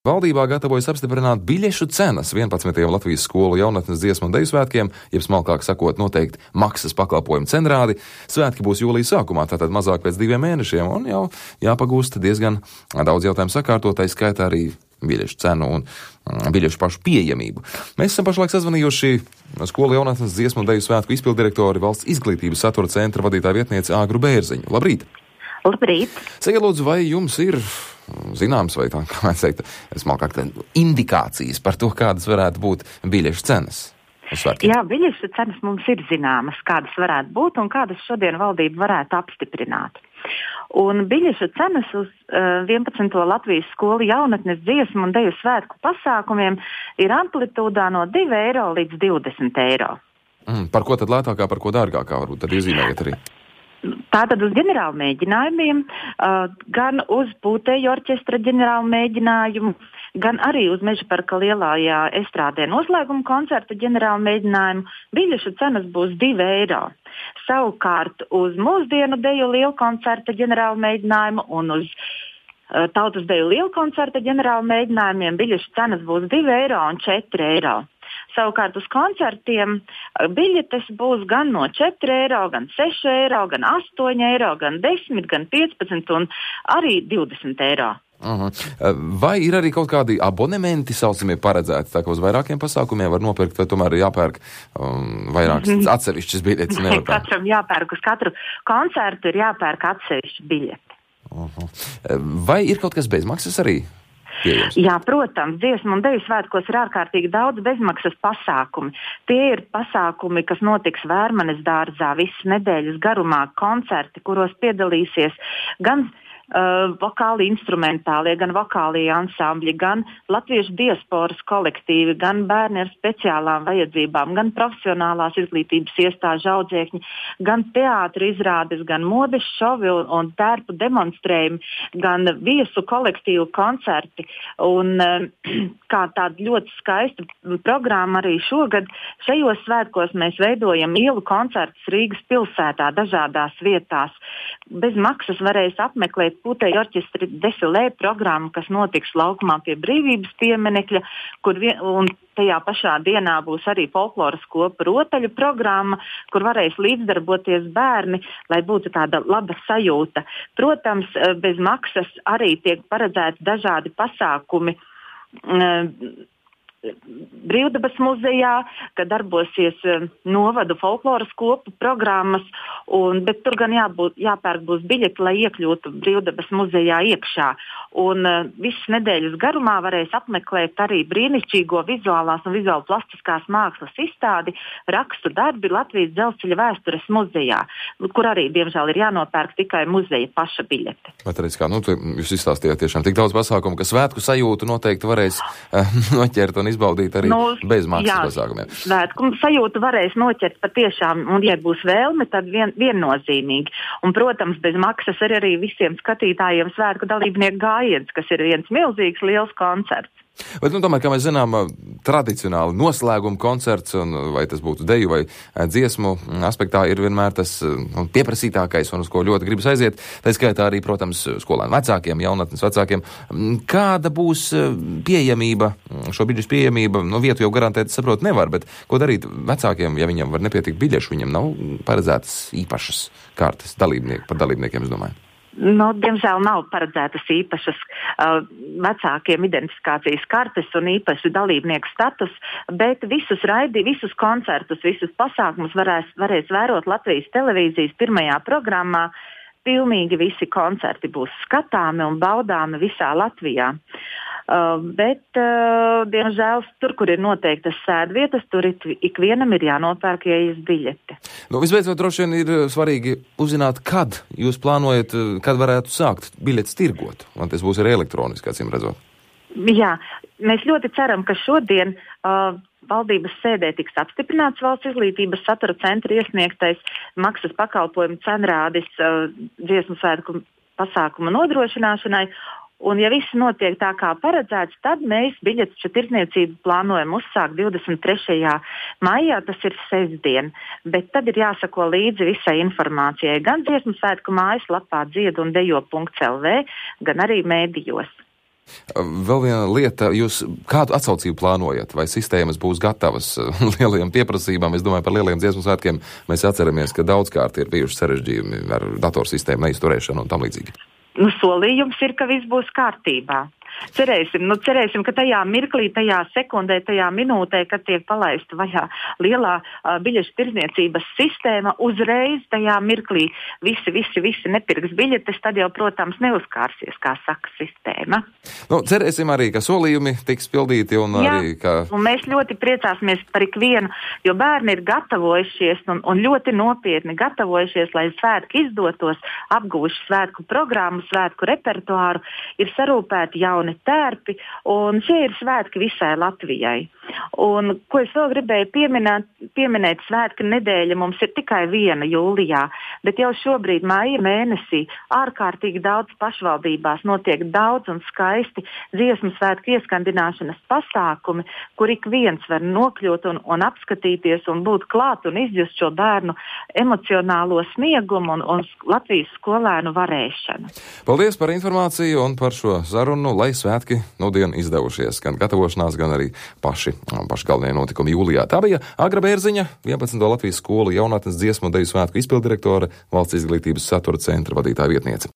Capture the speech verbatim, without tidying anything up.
Valdībā gatavojas apstiprināt biļešu cenas vienpadsmitajiem Latvijas skolu jaunatnes dziesmu un deju svētkiem, jeb smalkāk sakot, noteikti maksas pakalpojumu cenrādi. Svētki būs jūlijas sākumā, tātad mazāk pēc diviem mēnešiem, un jau jāpagūst diezgan daudz jautājumu sakārtot, skaitā arī biļešu cenu un biļešu pašu pieejamību. Mēs esam pašlaik sazvanījuši skolu jaunatnes dziesmu un deju svētku izpildirektori, valsts izglītības satura centra vadītāja vietnieci Āgru Bērziņu. Labrīt! Labrīt! Sakiet, lūdzu, vai jums ir zināms vai tā, kā mēs teikt, smalkāk tā, indikācijas par to, kādas varētu būt biļešu cenas uz svētkiem? Jā, biļešu cenas mums ir zināmas, kādas varētu būt un kādas šodien valdība varētu apstiprināt. Un biļešu cenas uz uh, vienpadsmito Latvijas skolu jaunatnes dziesmu un deju svētku pasākumiem ir amplitūdā no divi eiro līdz divdesmit eiro. Mm, par ko tad lētākā, par ko dārgākā varbūt tad iezīmējiet arī? Tātad uz ģenerālu mēģinājumiem, uh, gan uz pūtēju orķestra ģenerālu mēģinājumu, gan arī uz Meža parka lielājā estrādē noslēguma koncerta ģenerālu mēģinājumu biļešu cenas būs divi eiro. Savukārt uz mūsdienu deju lielkoncerta ģenerālu mēģinājumu un uz uh, tautas deju lielkoncerta ģenerālu mēģinājumiem biļešu cenas būs divi eiro un četri eiro. Savukārt uz koncertiem biļetes būs gan no četri eiro, gan seši eiro, gan astoņi eiro, gan desmit, gan piecpadsmit un arī divdesmit eiro. Uh-huh. Vai ir arī kaut kādi abonementi saucamie paredzēti, tā kā uz vairākiem pasākumiem var nopirkt, vai tomēr jāpērk um, vairākas atsevišķas biļetes? Katram jāpērk, uz katru koncertu ir jāpērk atsevišķa biļete. Uh-huh. Vai ir kaut kas bezmaksas arī? Pieejams. Jā, protams, dziesmu un deju svētkos ir ārkārtīgi daudz bezmaksas pasākumi. Tie ir pasākumi, kas notiks Vērmanes dārzā visas nedēļas garumā, koncerti, kuros piedalīsies gan uh, vokāli instrumentālie, gan vokālie ansambļi, gan latviešu diasporas kolektīvi, gan bērni ar speciālām vajadzībām, gan profesionālās izglītības iestāžu audzēkņi, gan teātra izrādes, gan modes šovi un, un tērpu demonstrējumi, gan viesu kolektīvu koncerti. Un kā tāda ļoti skaista programma arī šogad, šajos svētkos mēs veidojam ielu koncertus Rīgas pilsētā dažādās vietās. Bez maksas varēs apmeklēt pūtēju orķestra defilē programmu, kas notiks laukumā pie Brīvības pieminekļa, kur vien, un tajā pašā dienā būs arī folkloras kopa rotaļu programma, kur varēs līdzdarboties bērni, lai būtu tāda laba sajūta. Protams, bez maksas arī tiek paredzēti dažādi pasākumi Brīvdabas muzejā, kad darbosies novadu folkloras kopu programmas, un, bet tur gan jābūt, jāpērk būs biļeti, lai iekļūtu Brīvdabas muzejā iekšā. Un uh, visas nedēļas garumā varēs apmeklēt arī brīnišķīgo vizuālās un vizuāli plastiskās mākslas izstādi rakstu darbi Latvijas Dzelzceļa vēstures muzejā, kur arī, diemžēl, ir jānopērk tikai muzeja paša biļete. Bet arī, kā, nu, jūs izstāstījāt tiešām tik daudz pasākumu, ka svētku sajūtu noteikti varēs uh, noķert un izbaudīt arī nu, bez maksas pasākumiem. Svētku sajūtu varēs noķert patiešām, un ja būs vēlme, tad vien, viennozīmīgi. Un, protams, bez maksas ir arī visiem skatītājiem svētku dalībnieku gājiens, kas ir viens milzīgs liels koncerts. Bet, nu, tomēr, kā mēs zinām, tradicionāli noslēguma koncerts, un vai tas būtu deju vai dziesmu aspektā, ir vienmēr tas nu, pieprasītākais, un uz ko ļoti gribas aiziet. Tā skaitā arī, protams, skolēnu vecākiem, jaunatnes vecākiem. Kāda būs pieejamība, šo biļešu pieejamība, nu, vietu jau garantēt, saprot, nevar, bet ko darīt vecākiem, ja viņam var nepietikt biļešu, viņam nav paredzētas īpašas kārtas dalībnieki, par dalībniekiem, es domāju. Nu, diemžēl nav paredzētas īpašas uh, vecākiem identifikācijas kartes un īpaši dalībnieku status, bet visus raidi, visus koncertus, visus pasākumus varēs, varēs vērot Latvijas televīzijas pirmajā programmā. Pilnīgi visi koncerti būs skatāmi un baudāmi visā Latvijā. Uh, bet, uh, diemžēl, tur, kur ir noteiktas sēdvietas, tur ik, ikvienam ir jānopērk ieejas biļete. Nu, visbeidzot, droši vien ir svarīgi uzzināt, kad jūs plānojat, kad varētu sākt biļetes tirgot, un tas būs arī elektroniski, acīm redzot. Jā, mēs ļoti ceram, ka šodien uh, valdības sēdē tiks apstiprināts valsts izglītības satura centra iesniegtais maksas pakalpojumu cenrādis uh, dziesmu svētku pasākumu nodrošināšanai. Un, ja viss notiek tā kā paredzēts, tad mēs biļetes tirdzniecību plānojam uzsākt divdesmit trešajā maijā, tas ir sestdien. Bet tad ir jāsako līdzi visai informācijai gan dziesmu svētku mājaslapā dziedu un dejo punkts el vē, gan arī mēdījos. Vēl viena lieta, jūs kādu atsaucību plānojat? Vai sistēmas būs gatavas lielajiem pieprasībām? Es domāju, par lielajiem dziesmu svētkiem mēs atceramies, ka daudzkārt ir bijuši sarežģījumi ar datorsistēmu neizturēšanu un tam līdzīgi. Nu, solījums ir, ka viss būs kārtībā. Cerēsim, nu, cerēsim, ka tajā mirklī, tajā sekundē, tajā minūtē, kad tiek palaista vaļā lielā uh, biļešu tirdzniecības sistēma, uzreiz tajā mirklī visi, visi, visi nepirks biļetes, tad jau, protams, neuzkārsies, kā saka sistēma. Nu, cerēsim arī, ka solījumi tiks pildīti un Jā, arī, ka... un mēs ļoti priecāsimies par ikvienu, jo bērni ir gatavojušies un, un ļoti nopietni gatavojušies, lai svētki izdotos, apgūši svētku programmu, svētku repertuāru, ir sarūpēti jauni tērpi, un šie ir svētki visai Latvijai. Un, ko es vēl gribēju pieminēt, pieminēt, svētku nedēļa mums ir tikai viena jūlijā, bet jau šobrīd māja mēnesī ārkārtīgi daudz pašvaldībās notiek daudz un skaisti dziesmu svētku ieskandināšanas pasākumi, kur ik viens var nokļūt un, un apskatīties un būt klāt un izjust šo bērnu emocionālo sniegumu un, un Latvijas skolēnu varēšanu. Paldies par informāciju un par šo sarunu, lai svētki nudien izdevušies, gan gatavošanās, gan arī paši, paši galvenie notikumi jūlijā. Tā bija Agra Bērziņa, vienpadsmito Latvijas skolu jaunatnes dziesmu un deju svētku izpildirektore, Valsts izglītības satura centra vadītāja vietniece.